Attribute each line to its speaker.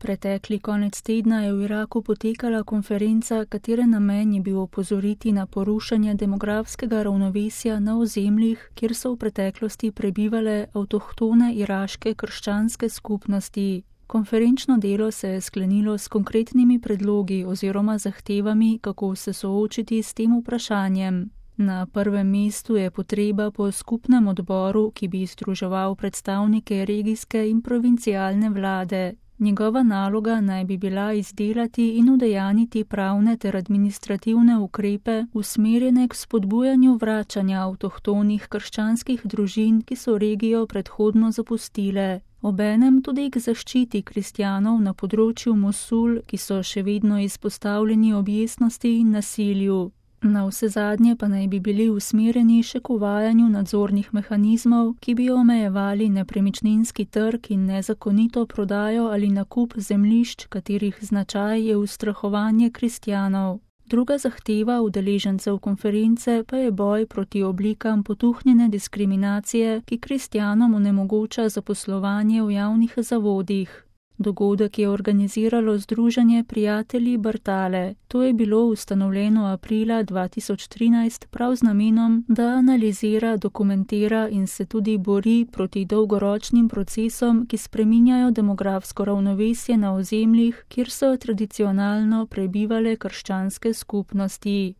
Speaker 1: Pretekli konec tedna je v Iraku potekala konferenca, katere namen je bil opozoriti na porušanje demografskega ravnovesja na ozemljih, kjer so v preteklosti prebivale avtohtone iraške krščanske skupnosti. Konferenčno delo se je sklenilo s konkretnimi predlogi oziroma zahtevami, kako se soočiti s tem vprašanjem. Na prvem mestu je potreba po skupnem odboru, ki bi združeval predstavnike regijske in provincialne vlade. Njegova naloga naj bi bila izdelati in udejaniti pravne ter administrativne ukrepe, usmerjene k spodbujanju vračanja avtohtonih krščanskih družin, ki so regijo predhodno zapustile. Obenem tudi k zaščiti kristjanov na področju Mosul, ki so še vedno izpostavljeni objestnosti in nasilju. Navsezadnje pa naj bi bili usmerjeni še k uvajanju nadzornih mehanizmov, ki bi omejevali nepremičninski trg in nezakonito prodajo ali nakup zemljišč, katerih značaj je ustrahovanje kristjanov. Druga zahteva udeležencev konference pa je boj proti oblikam potuhnjene diskriminacije, ki kristjanom onemogoča zaposlovanje v javnih zavodih. Dogodek je organiziralo Združenje prijatelji Bartale. To je bilo ustanovljeno aprila 2013 prav z namenom, da analizira, dokumentira in se tudi bori proti dolgoročnim procesom, ki spreminjajo demografsko ravnovesje na ozemljih, kjer so tradicionalno prebivale krščanske skupnosti.